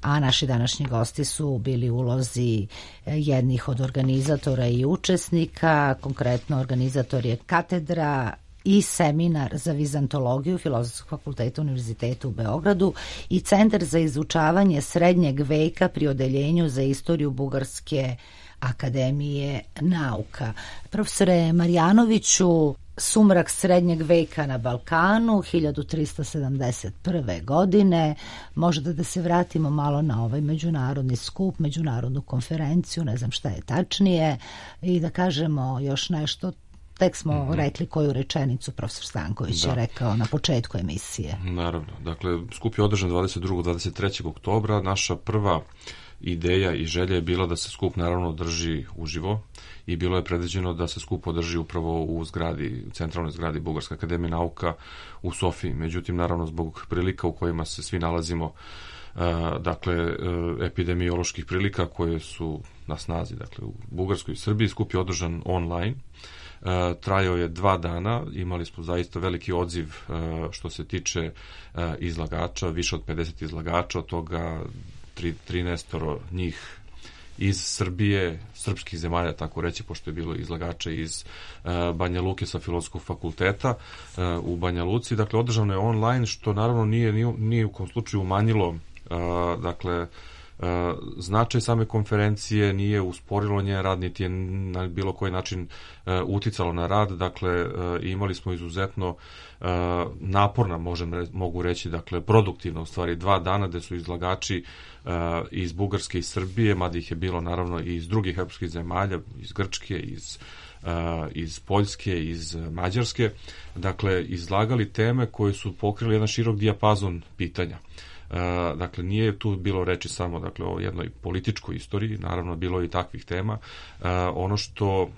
A: a naši današnji gosti su bili u ulozi jednih od organizatora i učesnika. Konkretno organizator je katedra i seminar za vizantologiju Filozofskog fakulteta Univerziteta u Beogradu i Centar za izučavanje srednjeg veka pri Odeljenju za istoriju Bugarske akademije nauka. Profesore Marjanoviću, sumrak srednjeg veka na Balkanu, 1371. godine. Možda da se vratimo malo na ovaj međunarodni skup, međunarodnu konferenciju, ne znam šta je tačnije, i da kažemo još nešto. Tek smo rekli koju rečenicu profesor Stanković je rekao na početku emisije.
D: Naravno. Dakle, skup je održan 22. 23. oktobra. Naša prva ideja i želja je bila da se skup naravno održi uživo i bilo je predviđeno da se skup održi upravo u zgradi, centralnoj zgradi Bugarske akademije nauka u Sofiji. Međutim, naravno, zbog prilika u kojima se svi nalazimo, dakle, epidemioloških prilika koje su na snazi, dakle, u Bugarskoj i Srbiji, skup je održan online. Trajao je 2 dana, imali smo zaista veliki odziv što se tiče izlagača, više od 50 izlagača, od toga 13 njih iz Srbije, srpskih zemalja, tako reći, pošto je bilo izlagača iz Banja Luke sa Filozofskog fakulteta u Banja Luci. Dakle, održano je online, što naravno nije u kom slučaju umanjilo, dakle, značaj same konferencije, nije usporilo njen rad, niti je na bilo koji način uticalo na rad. Dakle, imali smo izuzetno naporna, mogu reći, dakle, produktivno, u stvari 2 dana gde su izlagači iz Bugarske i Srbije, mada ih je bilo naravno i iz drugih evropskih zemalja, iz Grčke, iz Poljske, iz Mađarske, dakle, izlagali teme koje su pokrili jedan širok dijapazon pitanja. Dakle, nije tu bilo reči samo, dakle, o jednoj političkoj istoriji, naravno bilo je i takvih tema. Ono što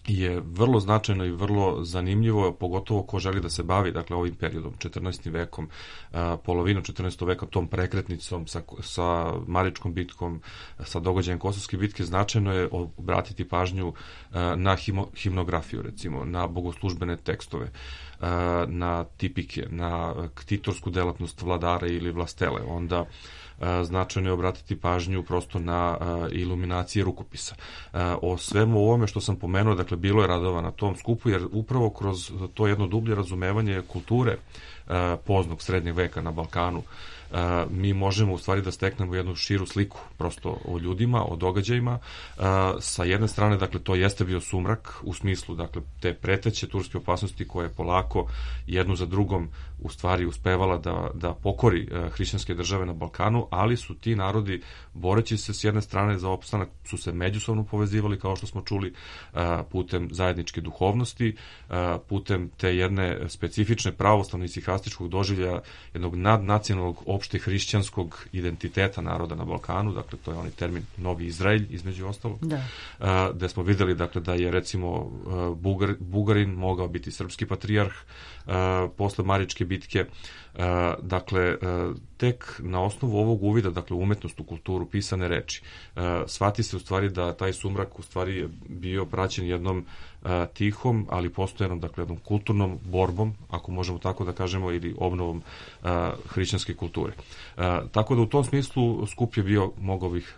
D: je vrlo značajno i vrlo zanimljivo, pogotovo ko želi da se bavi, dakle, ovim periodom, 14. vekom, polovinom 14. veka, tom prekretnicom sa Maričkom bitkom, sa događajem Kosovske bitke, značajno je obratiti pažnju na himnografiju, recimo, na bogoslužbene tekstove, na tipike, na ktitorsku delatnost vladara ili vlastele. Onda značajno je obratiti pažnju prosto na iluminacije rukopisa. O svemu ovome što sam pomenuo, dakle, bilo je radova na tom skupu, jer upravo kroz to jedno dublje razumevanje kulture poznog srednjeg veka na Balkanu mi možemo u stvari da steknemo jednu širu sliku prosto o ljudima, o događajima. Sa jedne strane, dakle, to jeste bio sumrak u smislu, dakle, te preteće turske opasnosti koje je polako jednu za drugom u stvari uspevala da pokori hrišćanske države na Balkanu, ali su ti narodi, boreći se s jedne strane za opstanak, su se međusobno povezivali, kao što smo čuli, putem zajedničke duhovnosti, putem te jedne specifične pravoslavne i sihastičkog doživlja jednog nadnacionalnog opšte hrišćanskog identiteta naroda na Balkanu, dakle, to je onaj termin Novi Izraelj, između ostalog, gde smo videli, dakle, da je, recimo, Bugarin mogao biti srpski patrijarh posle Maričke bitke. Dakle, tek na osnovu ovog uvida, dakle, umetnost, u kulturu, pisane reči, shvati se u stvari da taj sumrak u stvari je bio praćen jednom tihom, ali postojanom, dakle, jednom kulturnom borbom, ako možemo tako da kažemo, ili obnovom hrišćanske kulture. Tako da u tom smislu skup je bio, mogao bih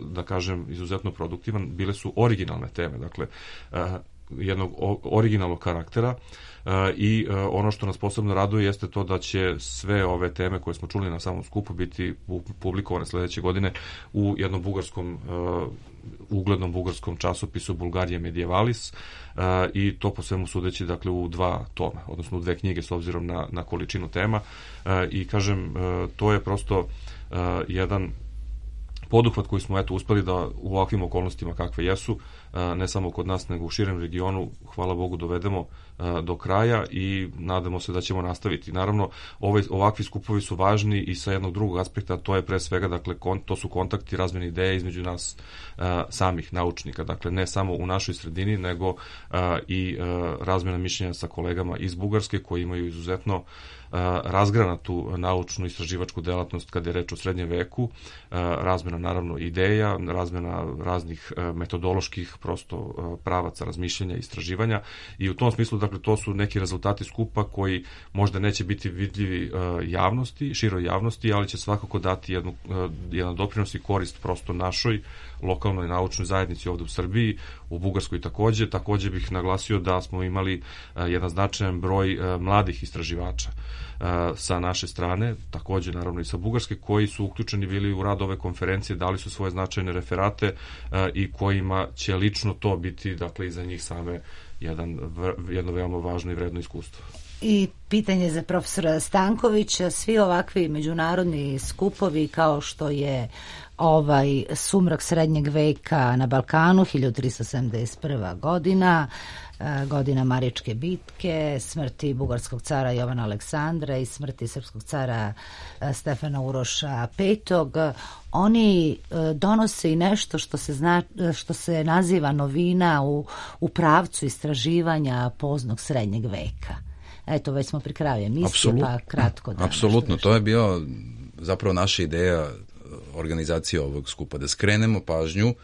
D: da kažem, izuzetno produktivan. Bile su originalne teme, dakle, jednog originalnog karaktera, i ono što nas posebno raduje jeste to da će sve ove teme koje smo čuli na samom skupu biti publikovane sledeće godine u jednom uglednom bugarskom časopisu Bulgarije Medievalis, i to po svemu sudeći, dakle, u 2 toma, odnosno u 2 knjige s obzirom na količinu tema, i kažem, to je prosto jedan poduhvat koji smo uspeli da u ovakvim okolnostima kakve jesu, ne samo kod nas nego u širem regionu, hvala Bogu, dovedemo do kraja i nadamo se da ćemo nastaviti. Naravno, ovakvi skupovi su važni i sa jednog drugog aspekta, to je pre svega, dakle, to su kontakti, razmene ideje između nas samih naučnika, dakle, ne samo u našoj sredini, nego i razmena mišljenja sa kolegama iz Bugarske koji imaju izuzetno razgranatu naučnu istraživačku delatnost kada je reč o srednjem veku, razmena naravno ideja, razmena raznih metodoloških prosto pravaca razmišljanja i istraživanja i u tom smislu, dakle, to su neki rezultati skupa koji možda neće biti vidljivi javnosti, široj javnosti, ali će svakako dati jedan doprinos i korist prosto našoj lokalnoj naučnoj zajednici ovde u Srbiji, u Bugarskoj takođe. Takođe bih naglasio da smo imali jedan značajan broj mladih istraživača sa naše strane, takođe naravno i sa Bugarske, koji su uključeni bili u rad ove konferencije, dali su svoje značajne referate i kojima će lično to biti, dakle, i za njih same jedno veoma važno i vredno iskustvo.
A: I pitanje za profesora Stankovića, svi ovakvi međunarodni skupovi kao što je Sumrak srednjeg veka na Balkanu, 1371. godina, godina Maričke bitke, smrti bugarskog cara Jovana Aleksandra i smrti srpskog cara Stefana Uroša V. Oni donose i nešto što se naziva novina u pravcu istraživanja poznog srednjeg veka. Eto, već smo pri kraju emisije, pa kratko.
F: Apsolutno, to je bio zapravo naša ideja organizacije ovog skupa, da skrenemo pažnju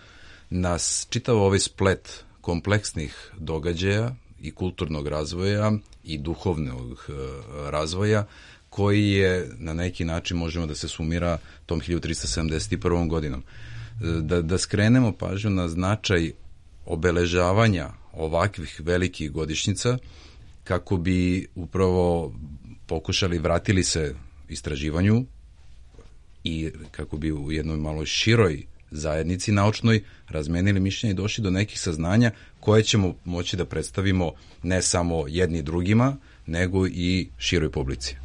F: na čitav ovaj splet kompleksnih događaja i kulturnog razvoja i duhovnog razvoja koji je na neki način, možemo da se sumira tom 1371. godinom. Da skrenemo pažnju na značaj obeležavanja ovakvih velikih godišnjica kako bi upravo pokušali, vratili se istraživanju i kako bi u jednoj malo široj zajednici naučnoj razmenili mišljenja i došli do nekih saznanja koje ćemo moći da predstavimo ne samo jedni drugima, nego i široj publici.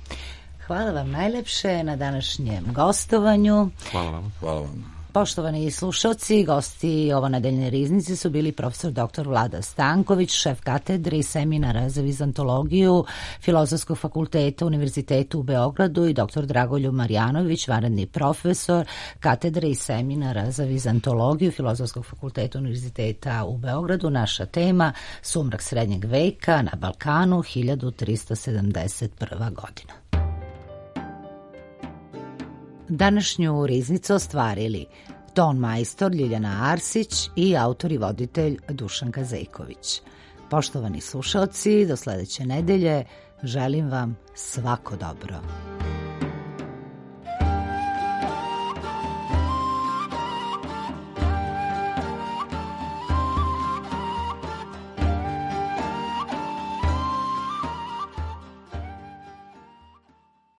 A: Hvala vam najlepše na današnjem gostovanju.
D: Hvala vam.
F: Hvala vam.
A: Poštovani slušalci, gosti ovonedeljne riznice su bili profesor dr. Vlada Stanković, šef katedre i seminara za vizantologiju Filozofskog fakulteta Univerziteta u Beogradu i dr. Dragoljub Marjanović, vanredni profesor katedre i seminara za vizantologiju Filozofskog fakulteta Univerziteta u Beogradu. Naša tema: Sumrak srednjeg veka na Balkanu, 1371. godina. Današnju riznicu ostvarili ton majstor Ljiljana Arsić i autor i voditelj Dušan Kazejković. Poštovani slušalci, do sledeće nedelje želim vam svako dobro.